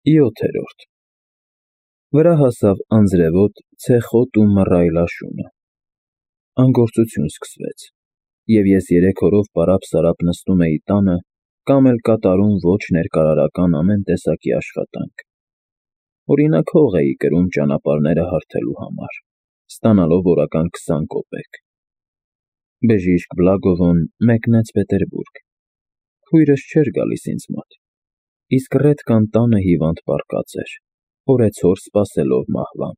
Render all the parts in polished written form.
7-րդ Վրա հասավ անձրևոտ, ցեխոտ ու մռայլ աշունը, անգործություն սկսվեց, և ես 3 օրով պարապ-սարապ նստում էի տանը կամ էլ կատարում ոչ ներկարարական ամեն տեսակի աշխատանք, օրինակ հող էի կրում ճանապարհները հարթելու համար, ստանալով օրական 20 կոպեկ, բժիշկ Բլագովոն մեկնեց Պետերբուրգ, քույրս չէր գալիս ինձ մոտ, իսկ Ռետկան տանը հիվանդ պառկած էր, օրեցօր սպասելով մահվան,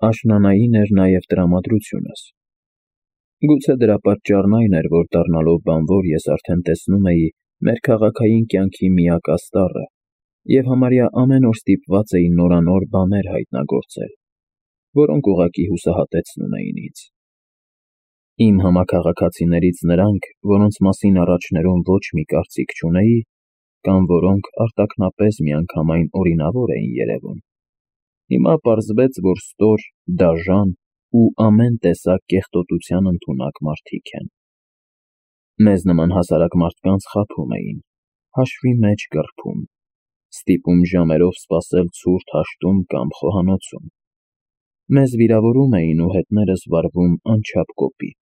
աշնանային էր նաև տրամադրությունս, գուցե դրա պատճառն այն էր, որ դառնալով բանվոր ես արդեն տեսնում էի մեր քաղաքային կյանքի միակ աստառը և համարյա ամեն օր ստիպված էի նորանոր բաներ հայտնագործել, որոնք ուղղակի հուսահատեցնում էին ինձ։ Իմ համաքաղաքացիներից նրանք, որոնց մասին առաջներում ոչ մի կարծիք չունեի, կամ որոնք արտաքնապես միանգամայն օրինավոր էին երևում, հիմա պարզվեց, որ ստոր, դաժան ու ամեն տեսակ կեղտոտության ընդունակ մարդիկ են։ Մեզ նման հասարակ մարդկանց խաբում էին, հաշվի մեջ կռփում, ստիպում ժամերով սպասել ցուրտ հաշտում կամ խոհանոցում։ Մեզ վիրավորում էին ու հետներս վարվում անչափ կոպիտ։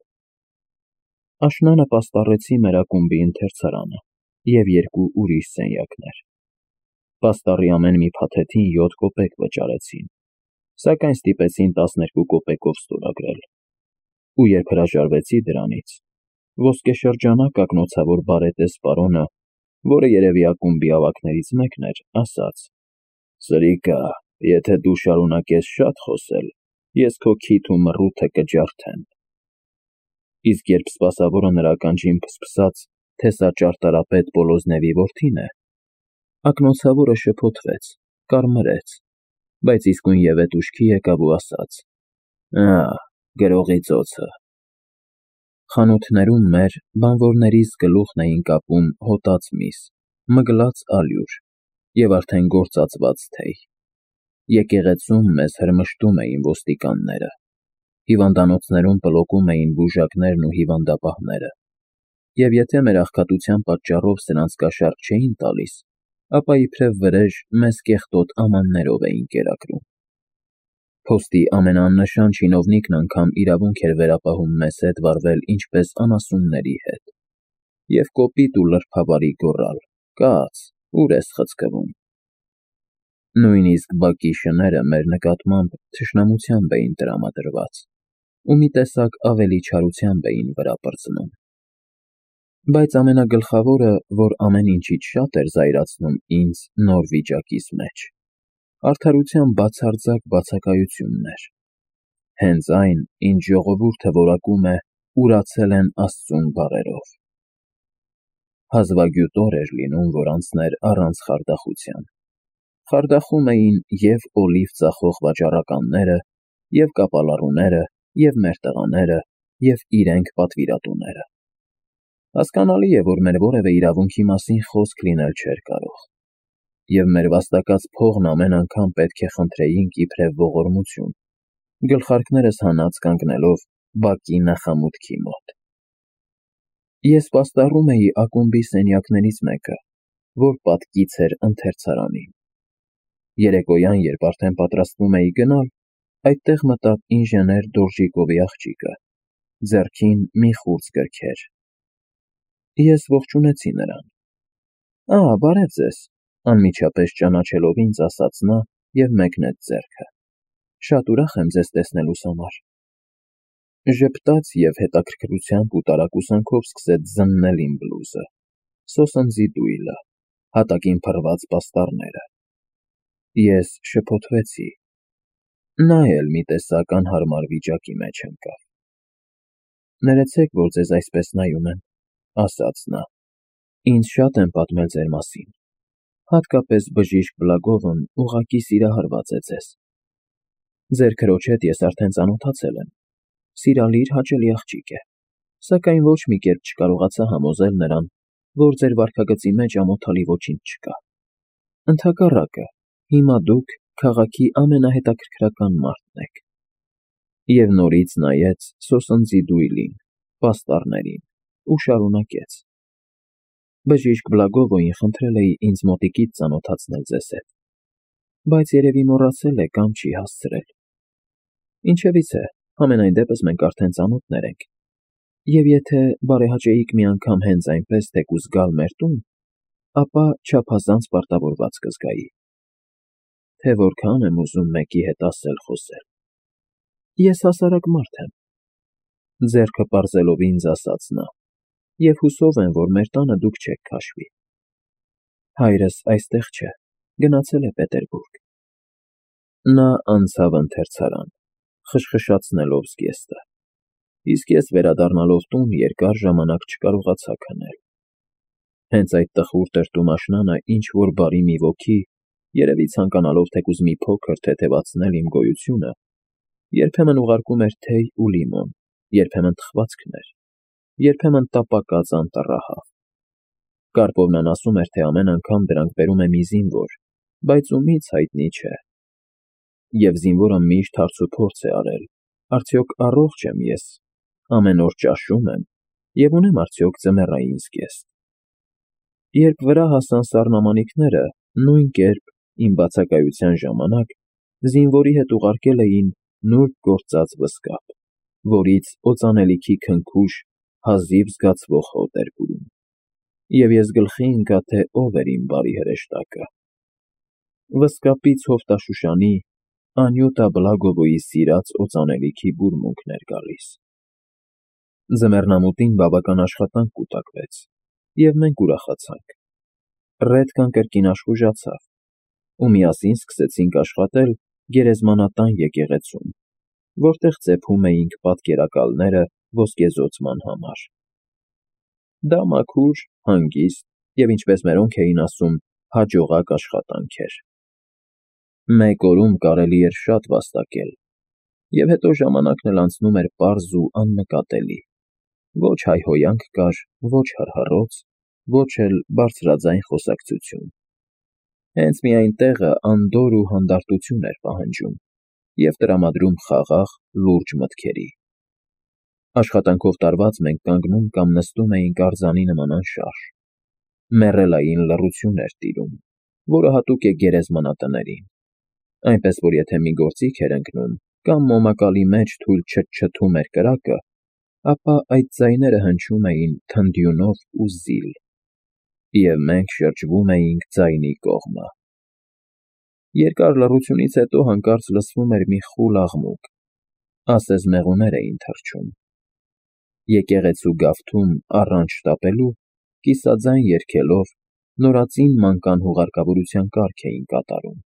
Աշնանը պաստառեցի մեր ակումբի ընթերցարանը և 2 ուրիշ սենյակներ։ Պաստառի ամեն մի փաթեթին 7 կոպեկ վճարեցին, սակայն ստիպեցին 12 կոպեկով ստորագրել։ Ու երբ հրաժարվեցի դրանից, ոսկեշրջանակ ակնոցավոր բարետես պարոնը, որը երևի ակումբի ավագներից մեկն էր, ասաց. «Սրիկա, եթե դու շարունակես շատ խոսել, ես քո քիթ ու մռութը կջարդեմ»։ Իսկ երբ սպասավորը նրա ականջին փսփսաց, թե սա ճարտարապետ Պոլոզնևի որդին է, ակնոցավորը շփոթվեց, կարմրեց, բայց իսկույնևեթ ուշքի եկավ ու ասաց. գրողի ծոցը։ Խանութներում մեր բանվորներիս գլուխն էին կապում հոտած միս, մգլած ալյուր և արդեն գործածված թեյ։ Եկեղեցում մեզ հրմշտում էին ոստիկանները, հիվանդանոցներում պլոկում էին բուժակներն ու հիվանդապահները, և եթե մեր աղքատության պատճառով սրանց կաշառք չէին տալիս, ապա իբրև վրեժ մեզ կեղտոտ ամաններով էին կերակրում։ Փոստի ամենաաննշան չինովնիկն անգամ իրավունք էր վերապահում մեզ հետ վարվել ինչպես անասունների հետ և կոպիտ ու լրբավարի գոռալ. «Կաց, ուր ես խցկվում»։ Նույնիսկ բակի շները մեր նկատմամբ թշնամությամբ էին տրամադրված ու մի տեսակ ավելի չարությամբ էին վրա պրծնում։ Բայց ամենագլխավորը, որ ամեն ինչից շատ էր զայրացնում ինձ նոր վիճակիս մեջ, արդարության բացարձակ բացակայությունն էր, հենց այն, ինչ ժողովուրդը որակում է «ուրացել են Աստծուն» բառերով։ Հազվագյուտ օր էր լինում, որ անցներ առանց խարդախության։ Խարդախում էին և օլիվ ծախող վաճառականները, և կապալառուները, և մեր տղաները, և իրենք պատվիրատուները։ Հասկանալի է, որ մեր որևէ իրավունքի մասին խոսք լինել չէր կարող, և մեր վաստակած փողն ամեն անգամ պետք է խնդրեինք իբրև ողորմություն, գլխարկներս հանած կանգնելով բակի նախամուտքի մոտ։ Ես պաստառում էի ակումբի սենյակներից մեկը, որ պատկից էր ընթերցարանին։ Երեկոյան, երբ արդեն պատրաստվում էի գնալ, այդտեղ մտավ ինժեներ Դորժիկովի աղջիկը, ձեռքին մի խուրձ գրքեր։ Ես ողջունեցի նրան։ Բարև ձեզ, անմիջապես ճանաչելով ինձ, ասաց նա և մեկնեց ձեռքը։ Շատ ուրախ եմ ձեզ տեսնելուս համար։ Ժպտաց և հետաքրքրությամբ ու տարակուսանքով սկսեց զննել իմ բլուզը, սոսնձի դույլը, հատակին փռված պաստառները։ Ես շփոթվեցի։ Նա էլ մի տեսակ անհարմար վիճակի մեջ ընկավ։ Ներեցեք, որ ձեզ այսպես նայում եմ, ասաց նա։ Ինձ շատ են պատմել ձեր մասին, հատկապես բժիշկ Բլագովն ուղղակի սիրահարված է ձեզ։ Ձեր քրոջ հետ ես արդեն ծանոթացել եմ, սիրալիր, հաճելի աղջիկ է, սակայն ոչ մի կերպ չկարողացա համոզել նրան, որ ձեր վարքագծի մեջ ամոթալի ոչինչ չկա։ Ընդհակառակը, հիմա դուք քաղաքի ամենահետաքրքրական մարդն եք։ Եվ նորից նայեց սոսնձի դույլին, պաստառներին ու շարունակեց. Բժիշկ Բլագովոյին խնդրել էի ինձ մոտիկից ծանոթացնել ձեզ հետ, բայց երևի մոռացել է կամ չի հասցրել։ Ինչևից է, համենայն դեպս մենք արդեն ծանոթներ ենք, և եթե բարեհաճեիք մի անգամ հենց այնպես թեկուզ գալ մեր տուն, ապա չափազանց պարտավորված կզգայի, թե որքան եմ ուզում մեկի հետ ասել-խոսել։ Ես հասարակ մարդ եմ, ձեռքը պարզելով ինձ ասաց նա, և հուսով եմ, որ մեր տանը դուք չեք քաշվի։ Հայրս այստեղ չէ, գնացել է Պետերբուրգ։ Նա անցավ ընթերցարան, խշխշացնելով զգեստը, իսկ ես վերադառնալով տուն երկար ժամանակ չկարողացա քնել։ Հենց այդ տխուր տրտումաշնանը ինչ-որ բարի մի ոգի, երևի ցանկանալով թեկուզ մի փոքր թեթևացնել իմ գոյությունը, երբեմն ուղարկում էր թեյ ու լիմոն, երբեմն թխվածքներ, երբեմն տապակած անտառահավ։ Կարպովնան ասում էր, թե ամեն անգամ դրանք բերում է մի զինվոր, բայց ումից հայտնի չէ։ Եվ զինվորը միշտ հարցուփորձ է արել. արդյոք առողջ եմ ես, ամեն օր ճաշում եմ և ունեմ արդյոք ձմեռային զգեստ։ Երբ վրա հասան սառնամանիքները, նույն կերպ, իմ բացակայության ժամանակ, զինվորի հետ ուղարկել էին նուրբ գործած վսկապ, որից օծանելիքի քնքուշ, հազիվ զգացվող հոտ էր բուրում, և ես գլխի ընկա, թե ով էր իմ բարի հրեշտակը։ Վսկապից հովտաշուշանի, Անյուտա Բլագովոյի սիրած օծանելիքի բուրմունքն էր գալիս։ Ձմեռնամուտին բավական աշխատանք կուտակվեց, և մենք ուրախացանք։ Ռեդկան կրկին աշխուժացավ, ու միասին սկսեցինք աշխատել գերեզմանատան եկեղեցում, որտեղ ծեփում էինք պատկերակալները ոսկեզօծման համար։ Դա մաքուր, հանգիստ և, ինչպես մերոնք էին ասում, հաջողակ աշխատանք էր։ Մեկ օրում կարելի էր շատ վաստակել, և հետո ժամանակն էլ անցնում էր պարզ ու աննկատելի, ոչ հայհոյանք կար, ոչ հռհռոց, ոչ էլ բարձրաձայն խոսակցություն։ Հենց միայն տեղը անդորր ու հանդարտություն էր պահանջում և տրամադրում խաղաղ, լուրջ մտքերի։ Աշխատանքով տարված մենք կանգնում կամ նստում էինք արձանի նման անշարժ։ Մեռելային լռություն էր տիրում, որը հատուկ է գերեզմանատներին, այնպես որ եթե մի գործիք էր ընկնում կամ մոմակալի մեջ թույլ չթչթում էր կրակը, ապա այդ ձայները հնչում էին թնդյունով ու զիլ, և մենք շրջվում էինք ձայնի կողմը։ Երկար լռությունից հետո հանկարծ լսվում էր մի խուլ աղմուկ, ասես մեղուներ էին թռչում։ Եկեղեցու գավթում առանց շտապելու, կիսաձայն երգելով, նորածին մանկան հուղարկավորության կարգ էին կատարում։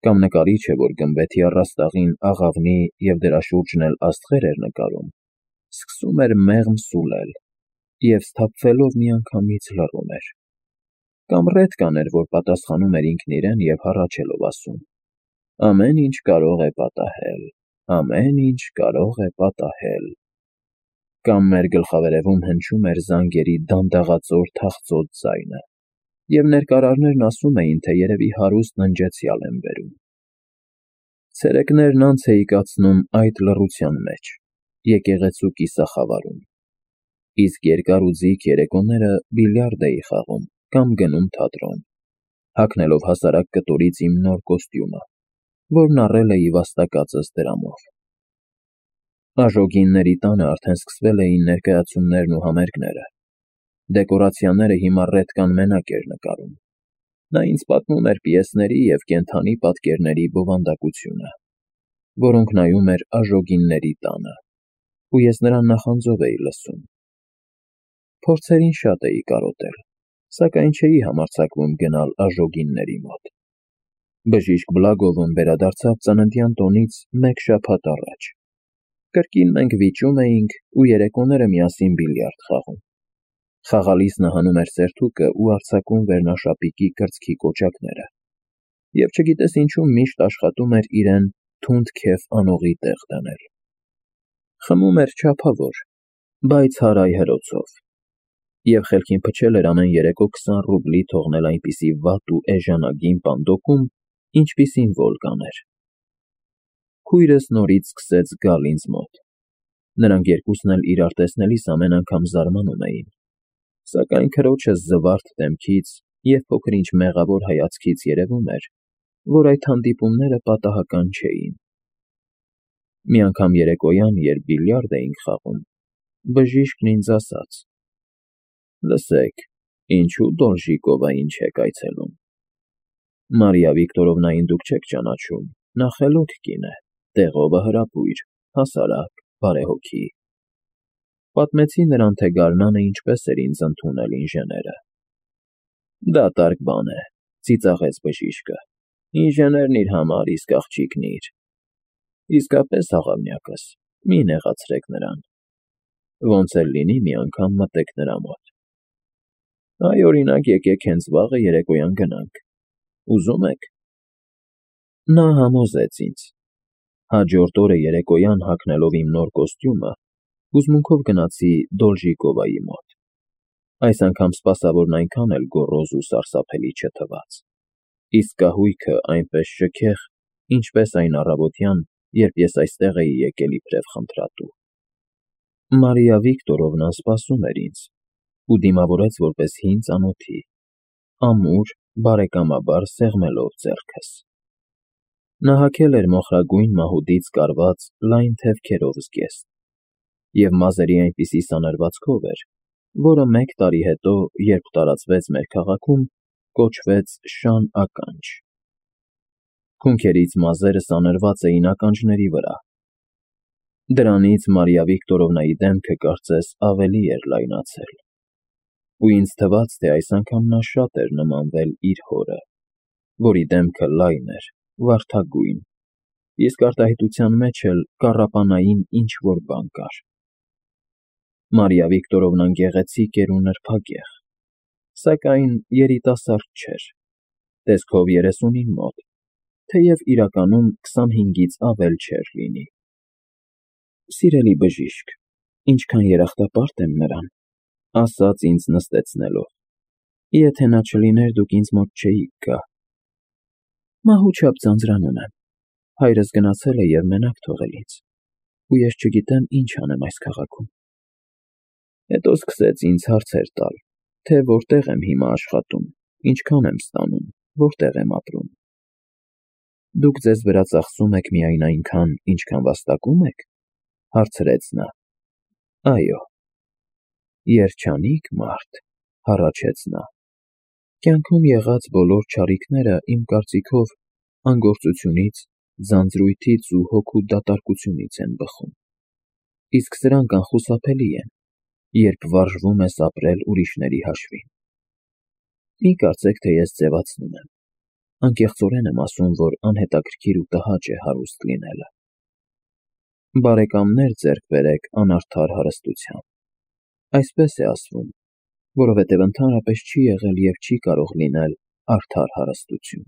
Կամ նկարիչ է, որ գմբեթի առաստաղին աղավնի և դրա շուրջն էլ աստղեր էր նկարում, սկսում էր մեղմ սուլել և, սթափվելով, միանգամից լռում էր։ Կամ Ռեդկան էր, որ պատասխանում էր ինքն իրեն և հառաչելով ասում. «Ամեն ինչ կարող է պատահել, ամեն ինչ կարող է պատահել»։ Կամ մեր գլխավերևում հնչում էր զանգերի դանդաղածոր թախծոտ ձայնը, և ներկարարներն ասում էին, թե երևի հարուստ ննջեցյալ եմ բերում։ Ցերեկներն անց էի կացնում այդ լռության մեջ, եկեղեցու կիսախավարում, իսկ երկար ու ձիգ երեկոները բիլիարդ էի խաղում կամ գնում թատրոն, հագնելով հասարակ կտորից իմ նոր կոստյումը, որն առել էի վաստակածս դրամով։ Աժոգինների տանը արդեն սկսվել էին ներկայացումներն ու համերգները։ Դեկորացիաները հիմա Ռեդկան մենակ էր նկարում։ Նա ինձ պատմում էր պիեսների և կենդանի պատկերների բովանդակությունը, որոնք նայում էր աժոգինների տանը, ու ես նրան նախանձով էի լսում։ Փորձերին շատ էի կարոտել, սակայն չէի համարձակվում գնալ աժոգինների մոտ։ Բժիշկ Բլագովն վերադարձավ ծննդյան տոնից մեկ շաբաթ առաջ։ Կրկին մենք վիճում էինք ու երեկոները միասին բիլիարդ խաղում։ Խաղալիս նա հանում էր սերթուկը ու արձակում վերնաշապիկի կրծքի կոճակները, և չգիտես ինչու միշտ աշխատում էր իրեն թունդ քեֆ անողի տեղ դնել։ Խմում էր չափավոր, բայց հարայ հրոցով, և խելքին փչել էր ամեն երեկո 20 ռուբլի թողնել այնպիսի վատ ու էժանագին պանդոկում, ինչպիսին Վոլգան էր։ Քույրս նորից սկսեց գալ ինձ մոտ։ Նրանք երկուսն էլ իրար տեսնելիս ամեն անգամ զարմանում էին։ Սակայն քրոջս զվարթ դեմքից և փոքր-ինչ մեղավոր հայացքից երևում էր, որ այդ հանդիպումները պատահական չէին։ Մի անգամ երեկոյան, երբ բիլիարդ էինք խաղում, բժիշկն ինձ ասաց. «Լսեք, ինչու Դոլժիկովային չեք այցելում։ Մարիա Վիկտորովնային դուք չեք ճանաչում, նա խելոք կին է, տեղովը հրապույր, հասարակ, բարեհոգի»։ Պատմեցի նրան, թե գարնանը ինչպես էր ինձ ընդունել ինժեները։ «Դատարկ բան է», ծիծաղեց բժիշկը, «ինժեներն իր համար, իսկ աղջիկն իր։ Իսկապես, աղավնյակս, մի նեղացրեք նրան։ Ոնց էլ լինի, մի անգամ մտեք նրա մոտ։ Այ, օրինակ, եկեք հենց վաղը երեկոյան գնանք։ Ուզում եք»։ Նա համոզեց ինձ։ Հաջորդ օրը երեկոյան հագնելով իմ նոր կոստյումը, հուզմունքով գնացի Դոլժիկովայի մոտ։ Այս անգամ սպասավորն այնքան էլ գոռոզ ու սարսափելի չթվաց, իսկ կահույքը այնպես շքեղ, ինչպես այն առավոտյան, երբ ես այստեղ էի եկել իբրև խնդրատու։ Մարիա Վիկտորովնան սպասում էր ինձ ու դիմավորեց որպես հին ծանոթի, ամուր, բարեկամաբար սեղմելով ձեռքս։ Նա հագել էր մոխրագույն մահուդից կարված լայն թևքերով զգեստ և մազերի այնպիսի սանրվածքով էր, որը մեկ տարի հետո, երբ տարածվեց մեր քաղաքում, կոչվեց շան ականջ։ Հունքերից մազերը սանրված էին ականջների վրա։ Դրանից Մարիա Վիկտորովնայի դեմքը կարծես ավելի էր լայնացել, ու ինձ թվաց, թե այս անգամ նա շատ էր նմանվել իր հորը, որի դեմքը լայն էր, վարդագույն, իսկ արտահայտության մեջ էլ կառապանային ինչ֊որ բան կար։ Մարիա Վիկտորովնան գեղեցիկ էր ու նրբագեղ, սակայն երիտասարդ չէր, տեսքով 30-ին մոտ, թեև իրականում 25-ից ավել չէր լինի։ «Սիրելի բժիշկ, ինչքան երախտապարտ եմ նրան», ասաց ինձ նստեցնելով, «եթե նա չլիներ, դուք ինձ մոտ չէիք գա։ Մահու չափ ձանձրանում եմ, հայրս գնացել է և մենակ թողել ինձ, ու ես չգիտեմ ինչ անեմ այս քաղաքում»։ Հետո սկսեց ինձ հարցեր տալ, թե որտեղ եմ հիմա աշխատում, ինչքան եմ ստանում, որտեղ եմ ապրում։ «Դուք ձեզ վրա ծախսում եք միայն այնքան, ինչքան վաստակում եք», հարցրեց նա։ «Այո»։ «Երջանիկ մարդ», հառաչեց նա։ «Կյանքում եղած բոլոր չարիքները, իմ կարծիքով, անգործությունից, ձանձրույթից ու հոգու դատարկությունից են բխում, իսկ սրանք անխուսափելի են, երբ վարժվում ես ապրել ուրիշների հաշվին։ Մի կարծեք, թե ես ձևացնում եմ, անկեղծորեն եմ ասում, որ անհետաքրքիր ու տհաճ է հարուստ լինելը։ Բարեկամներ ձեռք բերեք անարդար հարստության։ Այսպես է ասվում, որովհետև ընդհանրապես չի եղել և չի կարող լինել արդար հարստություն»։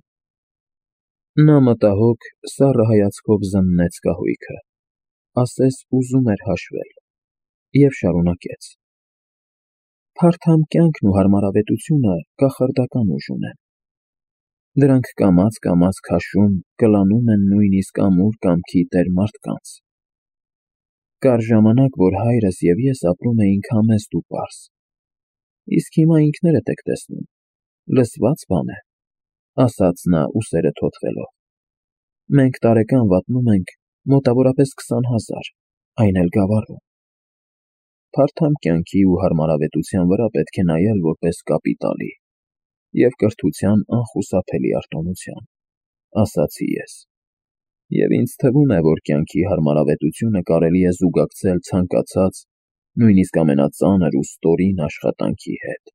Նա մտահոգ, սառը հայացքով զննեց կահույքը, ասես ուզում էր հաշվել, և շարունակեց. «Փարթամ կյանքն ու հարմարավետությունը կախարդական ուժ ունեն։ Դրանք կամաց քաշում, կլանում են նույնիսկ ամուր կամքի տեր մարդկանց։ Կար ժամանակ, որ հայրս և ես ապրում էինք համեստ ու պարզ, իսկ հիմա ինքներդ եք տեսնում, լսված բան է», ասաց նա ուսերը թոթվելով։ «Մենք տարեկան վատնում ենք մոտավորապես 20,000, այն էլ գավառում։ Փարթամ կյանքի ու հարմարավետության վրա պետք է նայել որպես կապիտալի և կրթության անխուսափելի արտոնության», ասացի ես։ «Եվ ինձ թվում է, որ կյանքի հարմարավետությունը կարելի է զուգակցել ցանկացած, նույնիսկ ամենածանր ու ստորին աշխատանքի հետ։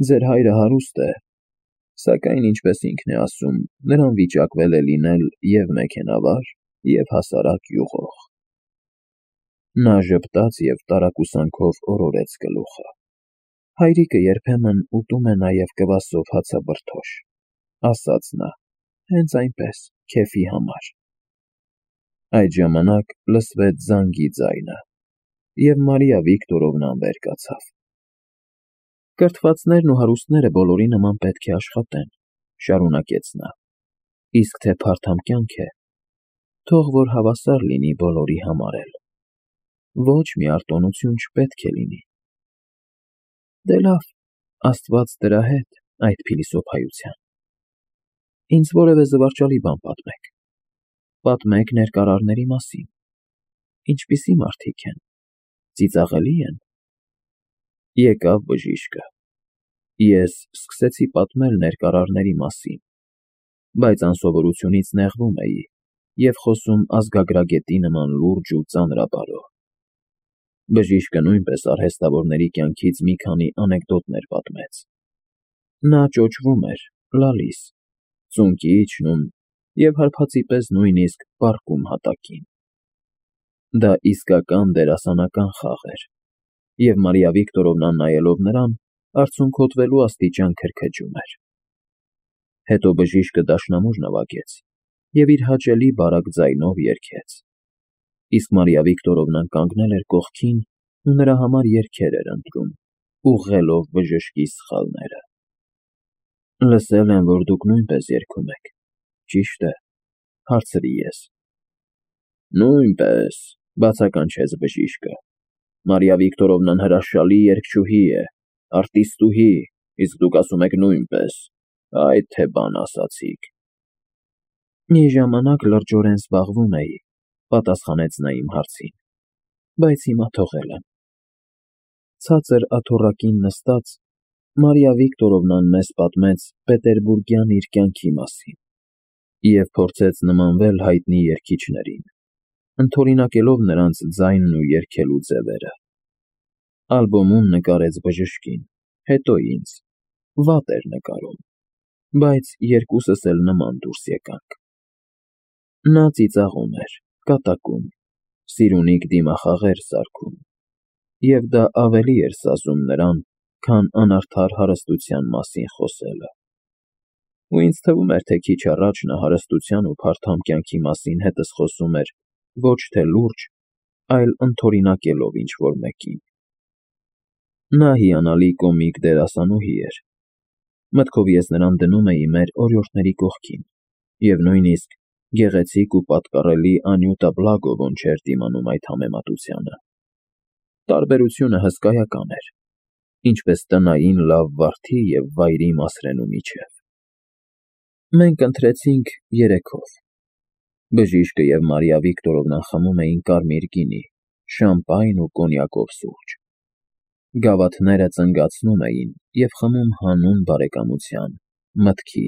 Ձեր հայրը հարուստ է, սակայն, ինչպես ինքն է ասում, նրան վիճակվել է լինել և մեքենավար, և հասարակ յուղող»։ Նա ժպտաց և տարակուսանքով օրորեց գլուխը։ «Հայրիկը երբեմն ուտում է նաև կվասով հացաբրդոշ», ասաց նա, «հենց այնպես, քեֆի համար»։ Այդ ժամանակ լսվեց զանգի ձայնը, և Մարիա Վիկտորովնան վեր կացավ։ «Կրթվածներն ու հարուստները բոլորի նման պետք է աշխատեն», շարունակեց նա, «իսկ թե փարթամ կյանք է, թող որ հավասար լինի բոլորի համար էլ։ Ոչ մի արտոնություն չպետք է լինի։ Դե լավ, Աստված դրա հետ, այդ փիլիսոփայության։ Ինձ որևէ զվարճալի բան պատմեք։ Պատմեք ներկարարների մասին։ Ինչպիսի մարդիկ են, ծիծաղելի են։ Եկավ բժիշկը։ Ես սկսեցի պատմել ներկարարների մասին, բայց անսովորությունից նեղվում էի և խոսում ազգագրագետի նման լուրջ ու ծանրաբարո։ Բժիշկը նույնպես արհեստավորների կյանքից մի քանի անեկդոտներ պատմեց։ Նա ճոճվում էր, լալիս, ծունկի իջնում և հարբածի պես նույնիսկ պառկում հատակին։ Դա իսկական դերասանական խաղ էր, և Մարիա Վիկտորովնան նայելով նրան, արցունքոտվելու աստիճան քրքջում էր։ Հետո բժիշկը դաշնամուր նվագեց և իր հաճելի բարակ ձայնով երգեց, իսկ Մարիա Վիկտորովնան կանգնել էր կողքին ու նրա համար երգեր էր ընտրում, ուղղելով բժշկի սխալները։ Լսել եմ, որ դուք նույնպես երգում եք, ճի՞շտ է, հարցրի ես։ Նույնպես, բացականչեց բժիշկը։ Մարիա Վիկտորովնան հրաշալի երգչուհի է, արտիստուհի, իսկ դուք ասում եք նույնպես, այդ թե բան ասացիք։ Մի ժամանակ լրջորեն զբաղվում էի, պատասխանեց նա իմ հարցին, բայց հիմա թողել եմ։ Ցածր աթոռակին նստած, Մարիա Վիկտորովնան մեզ պատմեց պետերբուրգյան իր կյանքի մասին և փորձեց նմանվել հայտնի երգիչներին, ընդօրինակելով նրանց ձայնն ու երգելու ձևերը։ Ալբոմում նկարեց բժշկին, հետո ինձ, վատ էր նկարում, բայց երկուսս էլ նման դուրս եկանք։ Նա ծիծաղում էր, կատակում, սիրունիկ դիմախաղեր սարքում, և դա ավելի էր սազում նրան, քան անարդար հարստության մասին խոսելը։ Ու ինձ թվում էր, թե քիչ առաջ նա հարստության ու փարթամ կյանքի մասին հետս խոսում էր ոչ թե լուրջ, այլ ընդօրինակելով ինչ-որ մեկին։ Նա հիանալի կոմիկ դերասանուհի էր։ Մտքով ես նրան դնում էի մեր օրիորդների կողքին, և նույնիսկ գեղեցիկ ու պատկառելի Անյուտա Բլագովոն չէր դիմանում այդ համեմատությանը։ Տարբերությունը հսկայական էր, ինչպես տնային լավ վարդի և վայրի Մասրենու միջև։ Մենք ընթրեցինք երեքով։ Բժիշկը և Մարիա Վիկտորովնան խմում էին կարմիր գինի, շամպայն ու կոնյակով սուրճ։ Գավաթները ծնգացնում էին և խմում հանուն բարեկամության, մտքի,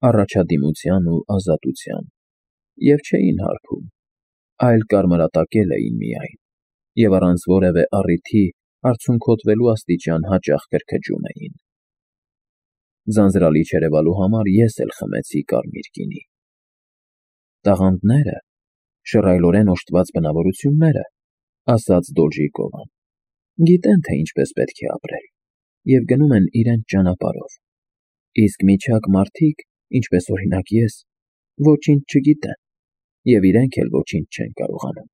առաջադիմության ու ազատության, և չէին հարբում, այլ կարմրատակել էին միայն, և առանց որևէ առիթի արցունքոտվելու աստիճան հաճախ քրքջում էին։ Ձանձրալի չերևալու համար ես էլ խմեցի կարմիր գինի։ Տաղանդները, շռայլորեն օժտված բնավորությունները, ասաց Դոլժիկովան, գիտեն, թե ինչպես պետք է ապրել, և գնում են իրենց ճանապարհով, իսկ միջակ մարդիկ, ինչպես օրինակ ես, ոչինչ չգիտեն, և իրենք էլ ոչինչ չեն կարողանում։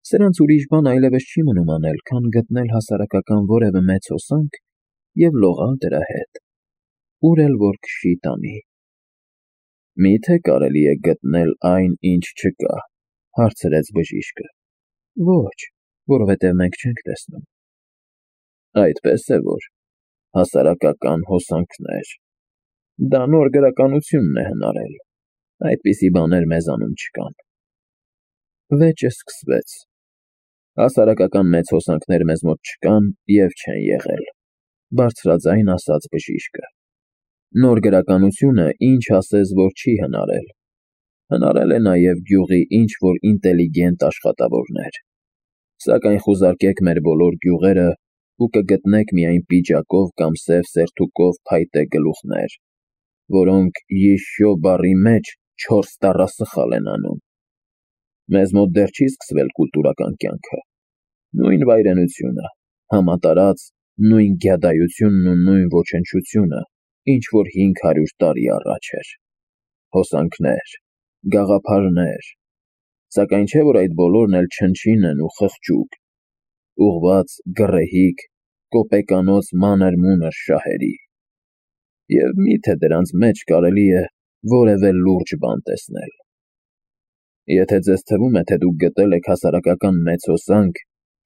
Սրանց ուրիշ բան այլևս չի մնում անել, քան գտնել հասարակական որևէ մեծ հոսանք և լողալ դրա հետ, ուր էլ որ քշի տանի։ Մի՞թե կարելի է գտնել այն, ինչ չկա, հարցրեց բժիշկը։ Ոչ, որովհետև մենք չենք տեսնում։ Այդպես է որ, հասարակական հոսանքներ։ Դա նոր գրականությունն է հնարել, այդպիսի բաներ մեզանում չկան։ Վեճը սկսվեց։ Հասարակական մեծ հոսանքներ մեզ մոտ չկան և չեն եղել, բարձրաձայն ասաց բժիշկը։ Նոր գրականությունը ինչ ասես, որ չի հնարել։ Հնարել է նաև գյուղի ինչ-որ ինտելիգենտ աշխատավորներ, սակայն խուզարկեք մեր բոլոր գյուղերը ու կգտնեք միայն պիջակով կամ սև սերթուկով փայտե գլուխներ, որոնք «յիշյո» բառի մեջ 4 տառասխալ են անում։ Մեզ մոտ դեռ չի սկսվել կուլտուրական կյանքը, նույն վայրենությունը, համատարած նույն գյադայությունն ու նույն ոչնչությունը, ինչ որ 500 տարի առաջ էր։ Հոսանքներ, գաղափարներ, սակայն չէ որ այդ բոլորն էլ չնչին են ու խղճուկ, ուղղված գռեհիկ, կոպեկանոց մանր-մունր շահերի։ Եվ մի՞թե դրանց մեջ կարելի է որևէ լուրջ բան տեսնել։ Եթե ձեզ թվում է, թե դուք գտել եք հասարակական մեծ հոսանք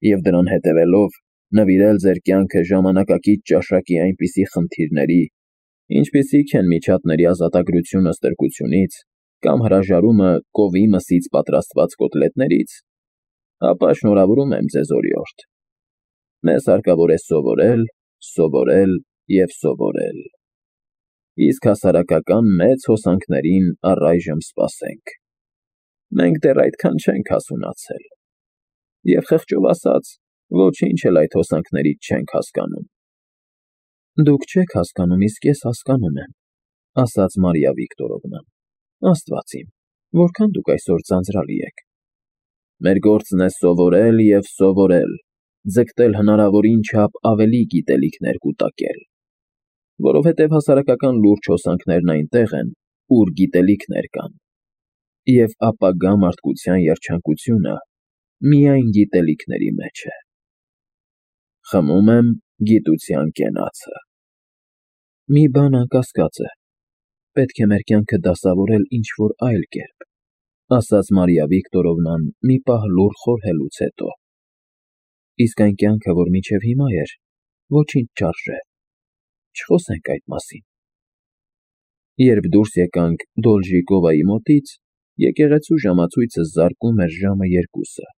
և դրան հետևելով Նվիրել ձեր կյանքը ժամանակակից ճաշակի այնպիսի խնդիրների, ինչպիսիք են միջատների ազատագրությունը ստրկությունից կամ հրաժարումը կովի մսից պատրաստված կոտլետներից, ապա շնորհավորում եմ ձեզ օրիորդ։ Մեզ հարկավոր է սովորել, սովորել և սովորել։ Իսկ հասարակական մեծ հոսանքներին առայժմ սպասենք։ Մենք դեռ այդքան չենք հասունացել։ Եվ խղճով ասած, ոչինչ էլ այդ հոսանքներից չենք հասկանում։ Դուք չեք հասկանում, իսկ ես հասկանում եմ, ասաց Մարիա Վիկտորովնան։ Աստված իմ, որքան դուք այսօր ձանձրալի եք։ Մեր գործն է սովորել և սովորել, ձգտել հնարավորին չափ ավելի գիտելիքներ կուտակել, որովհետև հասարակական լուրջ հոսանքներն այնտեղ են, ուր գիտելիքներ կան, և ապագա մարդկության երջանկությունը միայն գիտելիքների մեջ է։ Խմում եմ գիտության կենացը։ Մի բան անկասկած է, պետք է մեր կյանքը դասավորել ինչ-որ այլ կերպ, ասաց Մարիա Վիկտորովնան մի պահ լուռ խորհելուց հետո։ Իսկ այն կյանքը, որ մինչև հիմա էր, ոչինչ չարժե, չխոսենք այդ մասին։ Երբ դուրս եկանք Դոլժիկովայի մոտից, եկեղեցու ժամացույցը զարկում էր ժամը 2-ը։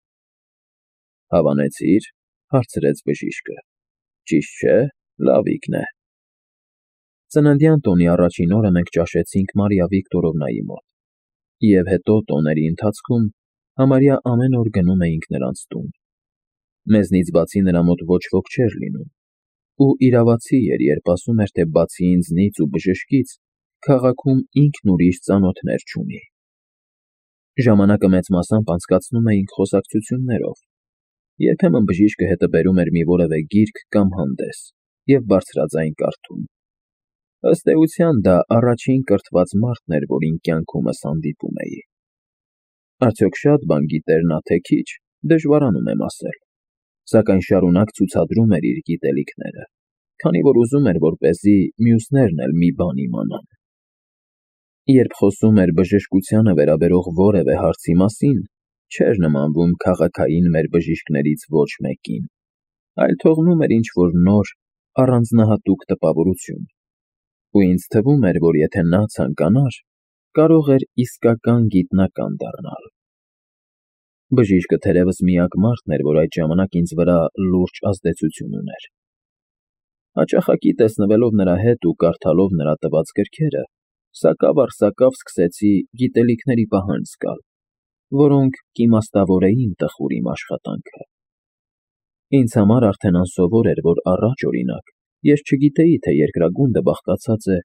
Հավանեցի՞ր, հարցրեց բժիշկը։ Ճիշտ չէ, լավիկն է։ Ծննդյան տոնի առաջին օրը մենք ճաշեցինք Մարիա Վիկտորովնայի մոտ, և հետո տոների ընթացքում համարյա ամեն օր գնում էինք նրանց տուն։ Մեզնից բացի նրա մոտ ոչ ոք չէր լինում, ու իրավացի էր, երբ ասում էր, թե բացի ինձնից ու բժշկից, քաղաքում ինքն ուրիշ ծանոթներ չունի։ Ժամանակը մեծ մասամբ անցկացնում էինք խոսակցություններով։ Երբեմն բժիշկը հետը բերում էր մի որևէ գիրք կամ հանդես և բարձրաձայն կարդում։ Ըստ էության դա առաջին կրթված մարդն էր, որին կյանքումս հանդիպում էի։ Արդյոք շատ բան գիտեր նա, թե քիչ, դժվարանում եմ ասել, սակայն շարունակ ցուցադրում էր իր գիտելիքները, քանի որ ուզում էր, որպեսզի մյուսներն էլ մի բան իմանան։ Երբ խոսում էր բժշկությանը վերաբերող որևէ հարցի մասին, չէր նմանվում քաղաքային մեր բժիշկներից ոչ մեկին, այլ թողնում էր ինչ-որ նոր, առանձնահատուկ տպավորություն, ու ինձ թվում էր, որ եթե նա ցանկանար, կարող էր իսկական գիտնական դառնալ։ Բժիշկը թերևս միակ մարդն էր, որ այդ ժամանակ ինձ վրա լուրջ ազդեցություն ուներ։ Հաճախակի տեսնվելով նրա հետ ու կարդալով նրա տված գրքերը, սակավ առ սակավ սկսեցի գիտելիքների պահանջ զգալ, որոնք կիմաստավորեին տխուր իմ աշխատանքը։ Ինձ համար արդեն անսովոր էր, որ առաջ, օրինակ, ես չգիտեի, թե երկրագունդը բաղկացած է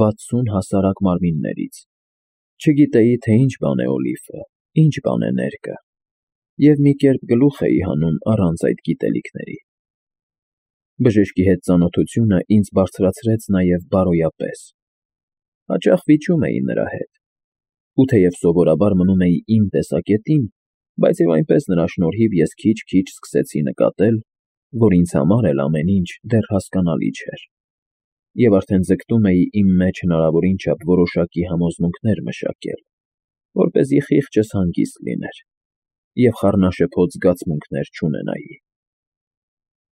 60 հասարակ մարմիններից, չգիտեի, թե ինչ բան է օլիվը, ինչ բան է ներկը, և մի կերպ գլուխ էի հանում առանց այդ գիտելիքների։ Բժշկի հետ ծանոթությունը ինձ բարձրացրեց նաև բարոյապես։ Հաճախ վիճում էի նրա հետ, ու թեև սովորաբար մնում էի իմ տեսակետին, բայց և այնպես նրա շնորհիվ ես քիչ-քիչ սկսեցի նկատել, որ ինձ համար էլ ամեն ինչ դեռ հասկանալի չէր, և արդեն ձգտում էի իմ մեջ հնարավորին չափ որոշակի համոզմունքներ մշակել, որպեսզի խիղճս հանգիստ լիներ և խառնաշփոթ զգացմունքներ չունենայի։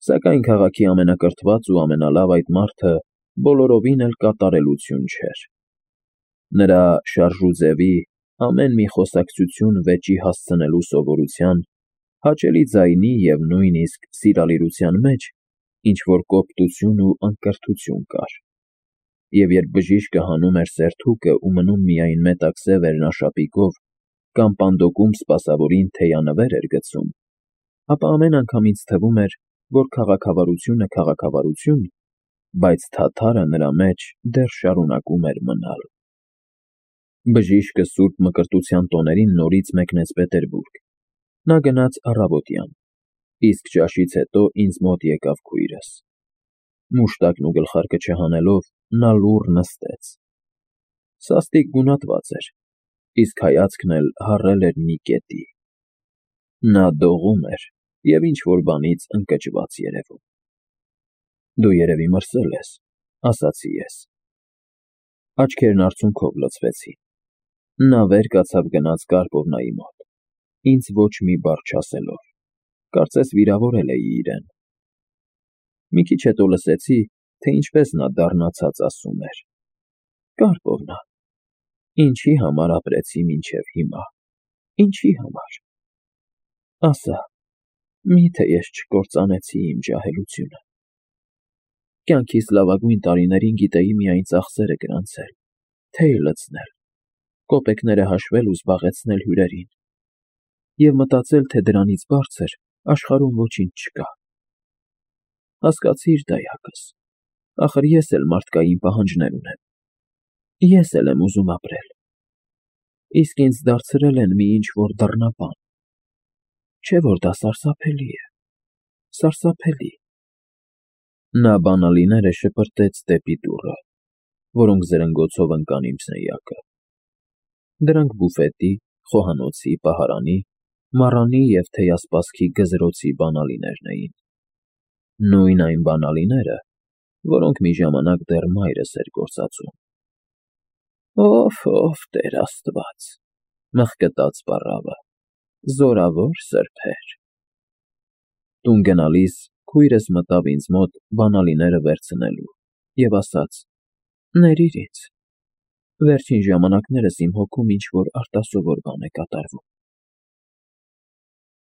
Սակայն քաղաքի ամենակրթված ու ամենալավ այդ մարդը բոլորովին էլ կատարելություն չէր։ Նրա շարժուձևի, ամեն մի խոսակցություն վեճի հասցնելու սովորության, հաճելի ձայնի և նույնիսկ սիրալիրության մեջ ինչ-որ կոպտություն ու անկրթություն կար։ Եվ երբ բժիշկը հանում էր սերթուկը ու մնում միայն մետաքսե վերնաշապիկով կամ պանդոկում սպասավորին թեյանվեր էր գցում, ապա ամեն անգամ ինձ թվում էր, որ քաղաքավարությունը քաղաքավարություն, բայց թաթարը նրա մեջ դեռ շարունակում էր մնալ։ Բժիշկը սուրբ մկրտության տոներին նորից մեկնեց Պետերբուրգ։ Նա գնաց առավոտյան, իսկ ճաշից հետո ինձ մոտ եկավ քույրս։ Մուշտակն ու գլխարկը չհանելով, նա լուռ նստեց։ Սաստիկ գունատված էր, իսկ հայացքն էլ հառել էր մի կետի։ Նա դողում էր և ինչ-որ բանից ընկճված երևում։ Դու երևի մրսել ես, ասացի ես։ Աչքերն արցունքով լցվեցին։ Նա վեր կացավ գնաց Կարպովնայի մոտ, ինձ ոչ մի բառ չասելով, կարծես վիրավորել էի իրեն։ Մի քիչ հետո լսեցի, թե ինչպես նա դառնացած ասում էր. «Կարգով նա, ինչի համար ապրեցի մինչև հիմա, ինչի համար, ասա, մի՞թե ես չկործանեցի իմ ջահելությունը։ Կյանքիս լավագույն տարիներին գիտեի միայն ծախսերը գրանցել, թեյ լցնել, կոպեկները հաշվել ու զբաղեցնել հյուրերին, և մտածել, թե դրանից բարձր աշխարհում ոչինչ չկա։ Հասկացիր, դայակս, ախր ես էլ մարդկային պահանջներ ունեմ, ես էլ եմ ուզում ապրել, իսկ ինձ դարձրել են մի ինչ֊որ դռնապան, չէ՞ որ դա սարսափելի է, սարսափելի»։ Նա բանալիները շպրտեց դեպի դուռը, որոնք զրնգոցով ընկան իմ սենյակը։ Դրանք բուֆետի, խոհանոցի, պահարանի, մառանի և թեյասպասքի գզրոցի բանալիներն էին։ Նույն այն բանալիները, որոնք մի ժամանակ դեռ մայրս էր գործածում։ «Օֆ, Տեր Աստված,֊ մխկտաց պառավը,֊ զորավոր սրբեր»։ Տուն գնալիս քույրս մտավ ինձ մոտ բանալիները վերցնելու և ասաց. «Ներիր ինձ, վերջին ժամանակներս իմ հոգում ինչ֊որ արտասովոր բան է կատարվում»։